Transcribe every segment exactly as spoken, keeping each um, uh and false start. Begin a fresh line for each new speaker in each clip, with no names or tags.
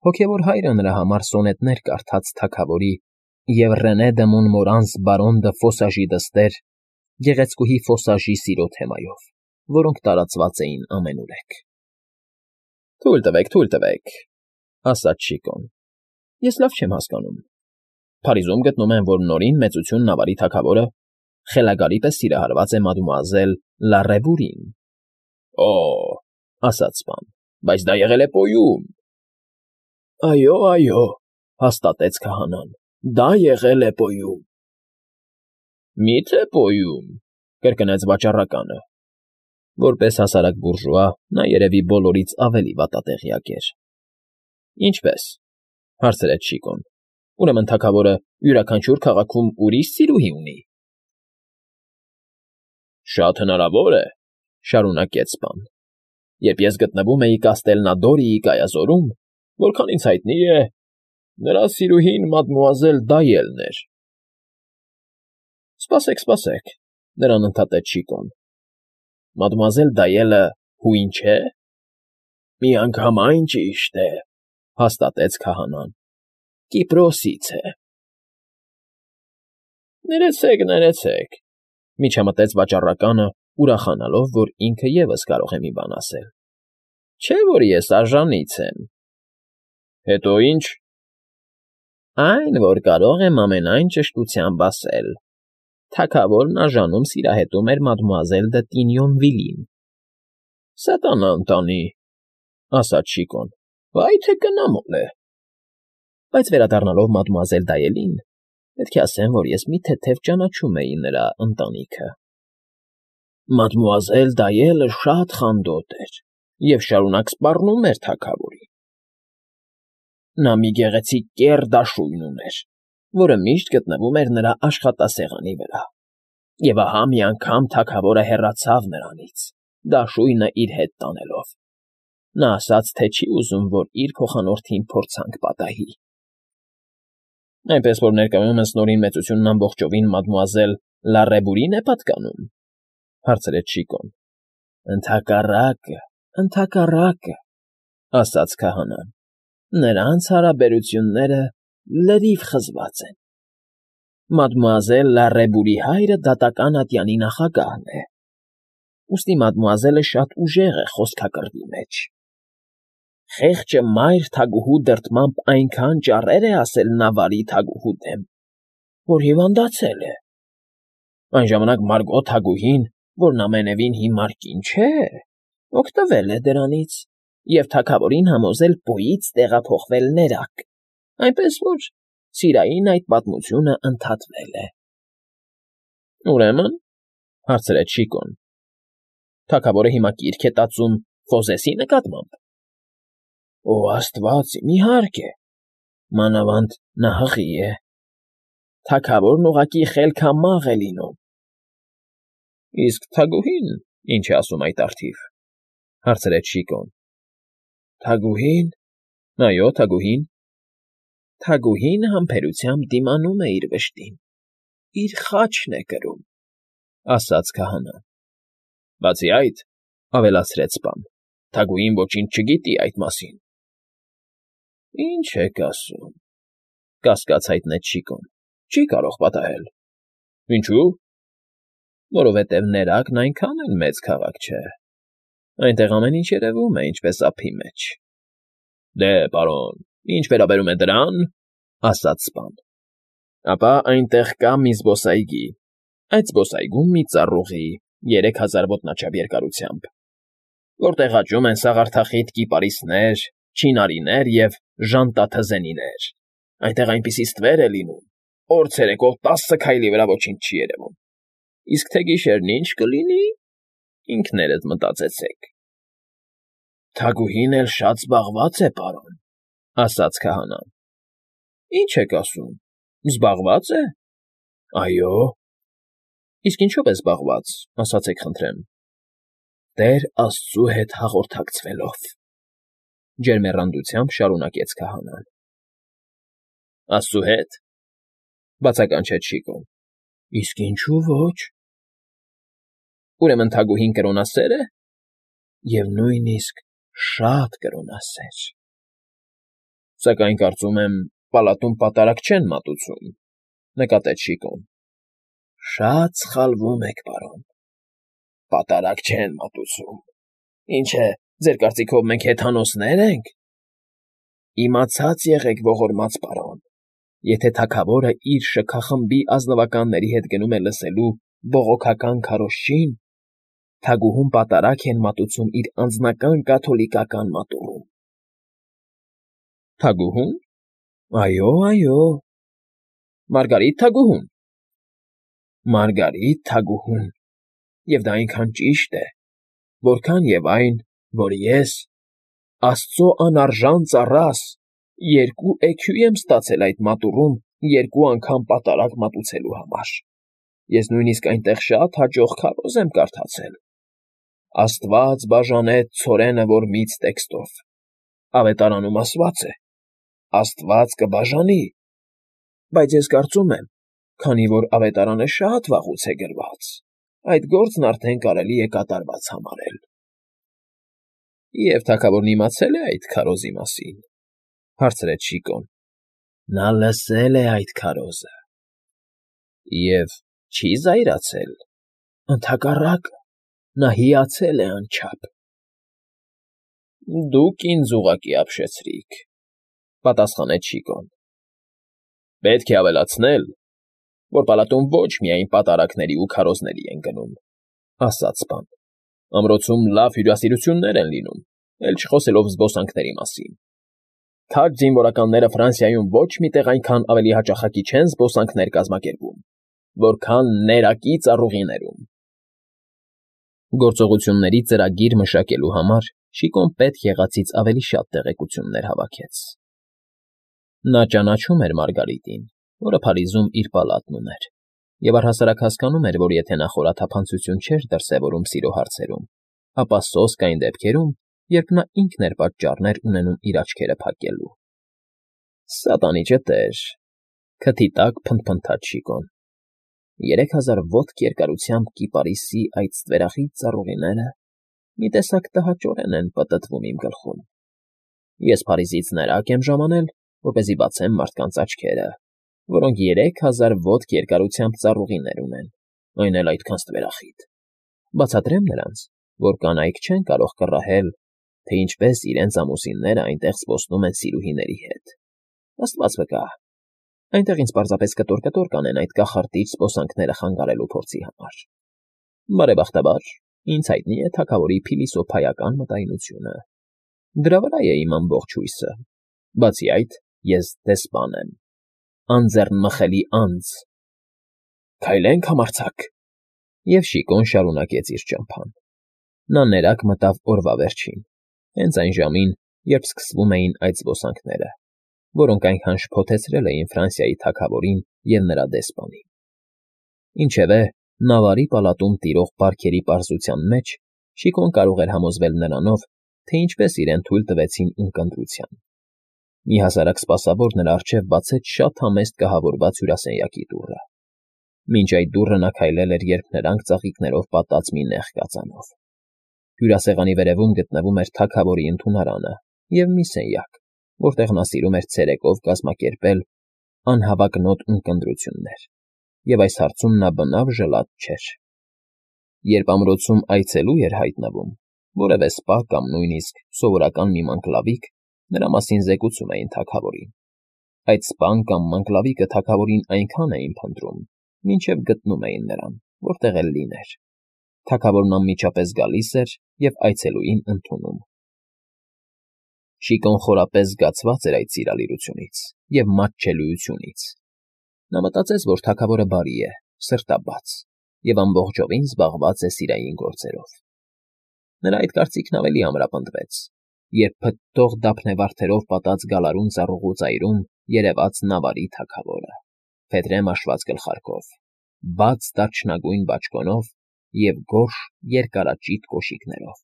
Հոգևոր հայրը նրա համար սոնետներ կարդաց թագավորի և Ռենե դը Մոնմորանս բարոն դը Ֆոսաժի դստեր՝ գեղեցկուհի Ֆոսաժի սիրո թեմայով, որոնք տարածված էին ամենուրեք։ ֊ Թույլ տվեք, թույլ տվեք,֊ ասաց Շիկոն,֊ ես լավ չեմ հասկանում. Փարիզում գտնում եմ, որ Նորին Մեծություն Նավարի թագավորը խելագարի պես սիրահարված է մադմուազել Լառևուրին։ ֊ Օ՜, ասաց սպան,֊ բայց դա եղել է Պոյում։ ֊ Այո, այո,֊ հաստատեց քահանան,֊ դա եղել է Պոյում։ ֊ Մի՞թե Պոյում,֊ կրկնեց վաճառականը. որպես հասարակ բուրժուա նա երևի բոլորից ավելի վատատեղյակ էր։ ֊ Ինչպե՞ս,֊ հարցրեց Շիկոն,֊ ուրեմն թագավորը յուրաքանչյուր քաղաքում ուրիշ սիրուհի ունի։ ֊ Շատ հնարավոր է,֊ շարունակեց սպան,֊ երբ ես գտնվում էի Կաստելնադորիի կայազորում, որքան ինձ հայտնի է, նրա սիրուհին մադմուազել Դայելն էր։ ֊ Սպասեք, սպասեք,֊ նրան ընդհատեց Շիկոն,֊ մադմուազել Դայելը հույն չէ՞։ ֊ Միանգամայն ճիշտ է,֊ հաստատեց քահանան,֊ Կիպրոսից է։ ֊ Ներեցեք, ներեցեք,֊ միջամտեց վաճառականը, ուրախանալով, որ ինքը ևս կարող է մի բան ասել,֊ չէ՞ որ ես արժանից եմ։ ֊ Հետո ի՞նչ։ ֊ Այն, որ կարող եմ ամենայն ճշտությամբ ասել. թագավորն արժանում սիրահետում էր մադմուազել դը Տինյոնվիլին։ ֊ Սատանա ընտանի,֊ ասաց Շիկոն,֊ վայ թե կնամոլ է։ ֊ Բայց վերադառնալով մադմուազել Դայելին, պետք է ասեմ, որ ես մի թեթև ճանաչում էի նրա ընտանիքը։ ֊ Մադմուազել Դայելը շատ խանդոտ էր և շարունակ սպառնում էր թագավորին։ Նա մի գեղեցիկ կեռ դաշույն ուներ, որը միշտ գտնվում էր նրա աշխատասեղանի վրա, և ահա մի անգամ թագավորը հեռացավ նրանից, դաշույնը իր հետ տանելով։ Նա ասաց, թե չի ուզում, որ իր փոխանորդին փորձանք պատահի։ ֊ Այնպես որ ներկայումս Նորին Մեծությունն ամբողջովին մադմուազել Լառևուրին է պատկանում,֊ հարցրեց Շիկոն։ ֊ Ընդհակառակը, ընդհակառակը,֊ ասաց քահանան,֊ նրանց հարաբերությունները լրիվ խզված են։ Մադմուազել Լառևուրի հայրը դատական ատյանի նախագահն է, ուստի մադմուազելը շատ ուժեղ է խոսքակռվի մեջ։ Խեղճը մայր թագուհու դրդմամբ այնքան ճառեր է ասել Նավարի թագուհու դեմ, որ հիվանդացել է։ Այն ժամանակ Մարգո թագուհին, որն ամենևին հիմար կին չէ, օգտվել է դրանից և թագավորին համոզել Պոյից տեղափոխվել ներքև, այնպես որ սիրային այդ պատմությունը ընդհատվել է։ ֊ Ուրեմն,֊ հարցրեց Շիկոն,֊ թագավորը հիմա կիրք է տածում Ֆոզեսի նկատմամբ։ ֊ Օ աստված իմ, իհարկե, մանավանդ նա հղի է։ Թագավորն ուղղակի խելքամաղ է լինում։ ֊ Իսկ թագուհի՞ն ինչ է ասում այդ առթիվ,֊ հարցրեց Շիկոն։ ֊ Թագուհի՞ն։ ֊ Այո, թագուհին։ ֊ Թագուհին համբերությամբ դիմանում է իր վշտին, իր խաչն է կրում,֊ ասաց քահանան։ ֊ Բացի այդ,֊ ավելացրեց սպան,֊ թագուհին ոչինչ չգիտի այդ մասին։ ֊ Ի՞նչ եք ասում,֊ կասկած հայտնեց Շիկոն,֊ չի կարող պատահել։ ֊ Ինչո՞ւ։ ֊ Որովհետև Ներակն այնքան էլ մեծ քաղաք չէ. այնտեղ ամեն ինչ երևում է ինչպես ափի մեջ։ ֊ Դե, պարոն, ինչ վերաբերում է դրան,֊ ասաց սպան,֊ ապա այնտեղ կա մի զբոսայգի, այդ զբոսայգում մի ծառուղի երեք հազար ոտնաչափ երկարությամբ, որտեղ աճում են սաղարթախիտ կիպարիսներ, չինարիներ և ժանտաթզենիներ, այնտեղ այնպիսի ստվեր է լինում, օր ցերեկով տասը քայլի վրա ոչինչ չի երևում, իսկ թե գիշերն ինչ կլինի, ինքներդ մտածեցեք։ ֊ Թագուհին էլ շատ զբաղված է, պարոն,֊ ասաց քահանան։ ֊ Ի՞նչ եք ասում, զբաղվա՞ծ է։ ֊ Այո։ ֊ Իսկ ինչո՞վ է զբաղված, ասացեք խնդրեմ։ ֊ Տեր Աստծու հետ հաղորդակցվելով,֊ ջերմեռանդությամբ շարունակեց քահանան։ ֊ Աստծու հետ,֊ բացականչեց Շիկոն,֊ իսկ ինչու ոչ։ ֊ Ուրեմն թագուհին կրոնասե՞ր է։ ֊ Եվ նույնիսկ շատ կրոնասեր։ ֊ Սակայն կարծում եմ, պալատում պատարագ չեն մատուցում,֊ նկատեց Շիկոն։ ֊ Շատ սխալվում եք, պարոն, պատարագ չեն մատուցում… Ինչ է, ձեր կարծիքով մենք հեթանոսնե՞ր ենք… Իմացած եղեք, ողորմած պարոն, եթե թագավորը իր շքախմբի ազնվականների հետ գնում է լսելու բողոքական քարոզչին, թագուհուն պատարագ են մատուցում իր անձնական կաթոլիկական մատուռում։ ֊ Թագուհո՞ւն… Այո, այո… Մարգարիտ թագուհո՞ւն… Մարգարիտ թագուհուն… Եվ դա այնքան ճիշտ է, որքան և այն, որ ես, աստծո անարժան ծառաս, երկու էքյուի եմ ստացել այդ մատուռում երկու անգամ պատարագ մատուցելու համար… Ես նույնիսկ այնտեղ շատ հաջող քարոզ եմ կարդացել. «Աստված բաժանեց ցորենը որմից» տեքստով, ավետարանում ասված է. «Աստված կբաժանի», բայց ես կարծում եմ, քանի որ ավետարանը շատ վաղուց է գրված, այդ գործն արդեն կարելի է կատարված համարել։ ֊ Եվ թագավորն իմացե՞լ է այդ քարոզի մասին,֊ հարցրեց Շիկոն։ ֊ Նա լսել է այդ քարոզը։ ֊ Եվ չի՞ զայրացել։ ֊ Ընդհակառակը, նա հիացել է անչափ։ ֊ Դուք ինձ ուղղակի ապշեցրիք,֊ պատասխանեց Շիկոն։ ֊ Պետք է ավելացնել, որ պալատում ոչ միայն պատարագների ու քարոզների են գնում,֊ ասաց պան. ամրոցում լավ հյուրասիրություններ են լինում, էլ չխոսելով զբոսանքների մասին. Թագ զինվորականները Ֆրանսիայում ոչ մի տեղ այնքան ավելի հաճախակի չեն զբոսանքներ կազմակերպում, որքան ներակի ծառուղիներում… Գործողությունների ծրագիր մշակելու համար Շիկոն պետք եղածից ավելի շատ տեղեկություններ հավաքեց։ Նա ճանաչում էր Մարգարիտին, որը Փարիզում իր պալատն ուներ, և առհասարակ հասկանում էր, որ եթե նա խորաթափանցություն չէր դրսևորում սիրո հարցերում, ապա սոսկ այն դեպքերում, երբ նա ինքն էր պատճառներ ունենում իր աչքերը փակելու։ Սատանի ճտեր,֊ քթի տակ փնթփնթաց Շիկոն,֊ երեք հազար ոտք երկարությամբ կիպարիսի այդ ստվերախիտ ծառուղիները մի տեսակ տհաճորեն են պտտվում իմ գլխում… Ես Փարիզից ներակ եմ ժամանել, որպեսզի բացեմ մարդկանց աչքերը, որոնք երեք հազար ոտք երկարությամբ ծառուղիներ ունեն, այն էլ այդքան ստվերախիտ… Բացատրեմ նրանց, որ կանայք չեն կարող կռահել, թե ինչպես իրենց ամուսինները այնտեղ զբոսնում են սիրուհիների հետ… Աստված վկա, այնտեղ ինձ պարզապես կտոր֊կտոր կանեն այդ կախարդիչ զբոսանքները խանգարելու փորձի համար… Բարեբախտաբար, ինձ հայտնի է թագավորի փիլիսոփայական մտայնությունը… Դրա վրա է իմ ամբողջ հույսը… Բացի այդ, ես դեսպան եմ, անձեռնմխելի անձ… Քայլենք, համարձակ… Եվ Շիկոն շարունակեց իր ճամփան… Նա ներակ մտավ օրվա վերջին, հենց այն ժամին, երբ սկսվում էին այդ զբոսանքները, որոնք այնքան շփոթեցրել էին Ֆրանսիայի թագավորին և նրա դեսպանին… Ինչևէ, Նավարի պալատում տիրող բարքերի պարզության մեջ Շիկոն կարող էր համոզվել նրանով, թե ինչպես իրեն թույլ տվեցին ունկնդրության… Մի հասարակ սպասավոր նրա առջև բացեց շատ համեստ կահավորված հյուրասենյակի դուռը… Մինչ այդ դուռը նա քայլել էր, երբ նրանք ծաղիկներով պատած մի նեղ կածանով… Հյուրասեղանի վերևում գտնվում էր թագավորի ընդունարանը և մի սենյակ, որտեղ նա սիրում էր ցերեկով կազմակերպել անհավակնոտ ունկնդրություններ, և այս հարցում նա բնավ ժլատ չէր… Երբ ամրոցում այցելու էր հայտնվում, որևէ սպա կամ նույնիսկ սովորական մի մանկլավիկ նրա մասին զեկուցում էին թագավորին… Այդ սպան կամ մանկլավիկը թագավորին այնքան էին փնտրում, մինչև գտնում էին նրան, որտեղ էլ լիներ… Թագավորն անմիջապես գալիս էր և այցելուին ընդունում… Շիկոն խորապես զգացված էր այդ սիրալիրությունից և մատչելիությունից… Նա մտածեց, որ թագավորը բարի է, սրտաբաց և ամբողջովին զբաղված է սիրային գործերով… Նրա այդ կարծիքն ավելի ամրապնդվեց, երբ փթթող դափնեվարդերով պատած գալարուն ծառուղու ծայրում երևաց Նավարի թագավորը, փետրե մաշված գլխարկով, բաց դարչնագույն բաճկոնով և գորշ երկարաճիտ կոշիկներով…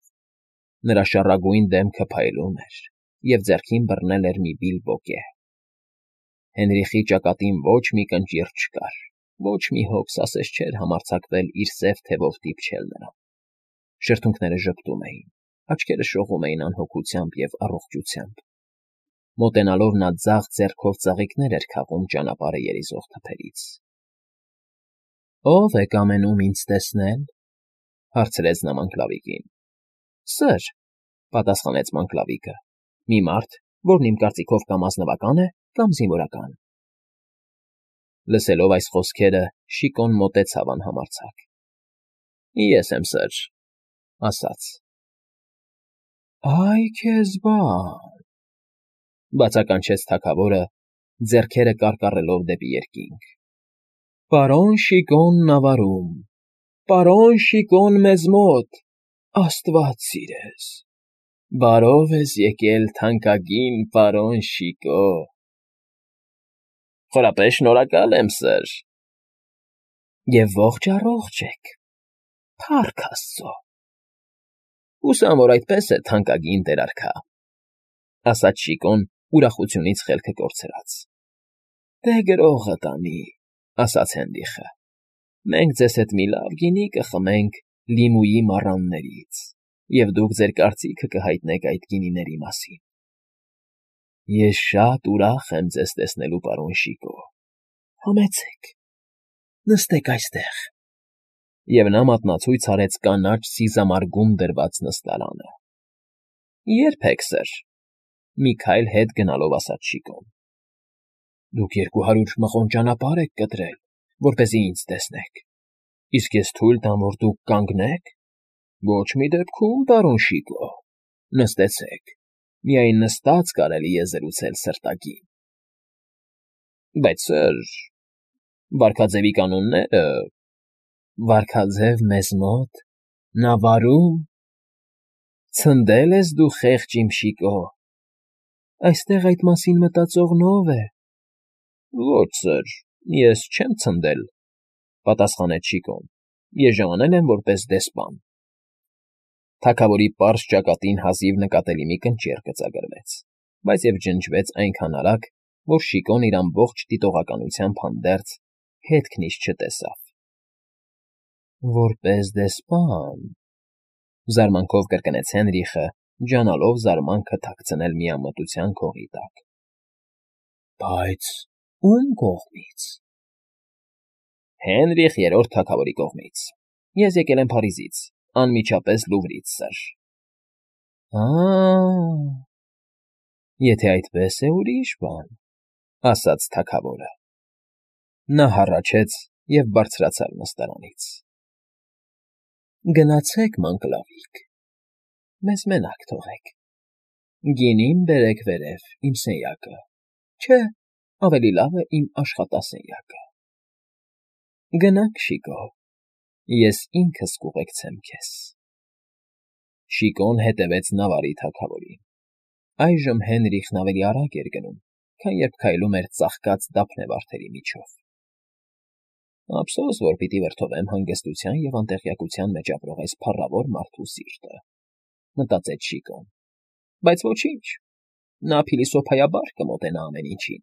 Նրա շառագույն դեմքը փայլում էր, և ձեռքին բռնել էր մի բիլբոկե… Հենրիխի ճակատին ոչ մի կնճիռ չկար, ոչ մի հոգս ասես չէր համարձակվել իր սև թևով դիպչել նրան… Շրթունքները ժպտում էին, աչքերը շողում էին անհոգությամբ և առողջությամբ… Մոտենալով նա ձախ ձեռքով ծաղիկներ էր քաղում ճանապարհը երիզող թփերից։ ֊ Ո՞վ է կամենում ինձ տեսնել,֊ հարցրեց նա մանգլավիկին։ ֊ Սըր,֊ պատասխանեց մանգլավիկը,֊ մի մարդ, որն իմ կարծիքով կամ ազնվական է, կամ զինվորական… Լսելով այս խոսքերը՝ Շիկոն մոտեցավ անհամարձակ։ ֊ Ես եմ Սըր,֊ ասաց։ ֊ Ա՜յ քեզ բան,֊ բացականչեց թագավորը, ձեռքերը կարկառելով դեպի երկինք։֊ Պարոն Շիկոն նավարում… Պարոն Շիկոն մեզ մոտ… Աստված սիրես… Բարով ես եկել, թանկագին պարոն Շիկո… ֊ Խորապես շնորհակալ եմ, Սըր… ֊ Եվ ողջ առողջ եք… Փառք աստծո… ֊ Հուսամ, որ այդպես է, թանկագին տեր֊արքա,֊ ասաց Շիկոն ուրախությունից խելքը կորցրած։ ֊ Դե գրողը տանի,֊ ասաց Հենրիխը,֊ մենք ձեզ հետ մի լավ գինի կխմենք Լիմուի մառաններից, և դուք ձեր կարծիքը կհայտնեք այդ գինիների մասին։ ֊ Ես շատ ուրախ եմ ձեզ տեսնելու, պարոն Շիկո… Համեցեք, նստեք այստեղ… Եվ նա մատնացույց արեց կանաչ սիզամարգում դրված նստարանը։ ֊ Ե՞րբ եք, Սըր,֊ մի քայլ հետ գնալով ասաց Շիկոն։ ֊ Դուք երկու հարյուր մղոն ճանապարհ եք կտրել, որպեսզի ինձ տեսնեք, իսկ ես թույլ տամ, որ դուք կանգնե՞ք… Ոչ մի դեպքում, պարոն Շիկո… Նստեցեք, միայն նստած կարելի է զրուցել սրտագին։ ֊ Բայց, Սըր… Վարքաձևի կանոնները… Վարքաձև մեզ մոտ… Նավարում… Ցնդե՞լ ես դու, խեղճ իմ Շիկո… Այստեղ այդ մասին մտածողն ո՞վ է։ ֊ Ոչ, Սըր, ես չեմ ցնդել,֊ պատասխանեց Շիկոն,֊ ես ժամանել եմ որպես դեսպան… Թագավորի պարզ ճակատին հազիվ նկատելի մի կնճիռ գծագրվեց, բայց և ջնջվեց այնքան արագ, որ Շիկոն իր ամբողջ դիտողականությամբ հանդերձ հետքն իսկ չտեսավ։ ֊ Որպես դեսպան,֊ զարմանքով կրկնեց Հենրիխը, ջանալով զարմանքը թաքցնել միամտության քողի տակ։ ֊ Բայց ո՞ւմ կողմից։ ֊ Հենրիխ Երրորդ թագավորի կողմից… Ես եկել եմ Փարիզից, անմիջապես Լուվրից, Սըր։ ֊ Ա՜, եթե այդպես է, ուրիշ բան,֊ ասաց թագավորը։ Նա հառաչեց և բարձրացավ նստարանից։ ֊ Գնացեք, մանգլավիկ, մեզ մենակ թողեք… Գինին բերեք վերև, իմ սենյակը, չէ, ավելի լավ է իմ աշխատասենյակը… Գնանք, Շիկո, ես ինքս կուղեկցեմ քեզ… Շիկոն հետևեց նավարի թագավորին։ Այժմ Հենրիխն ավելի արագ էր գնում, քան երբ քայլում էր ծաղկած դափնեվարդերի միջով։ Ափսոս, որ պիտի վրդովեմ հանգստության և անտեղյակության մեջ ապրող այս փառավոր մարդու սիրտը,֊ մտածեց Շիկոն,֊ բայց ոչինչ, նա փիլիսոփայաբար կմոտենա ամեն ինչին։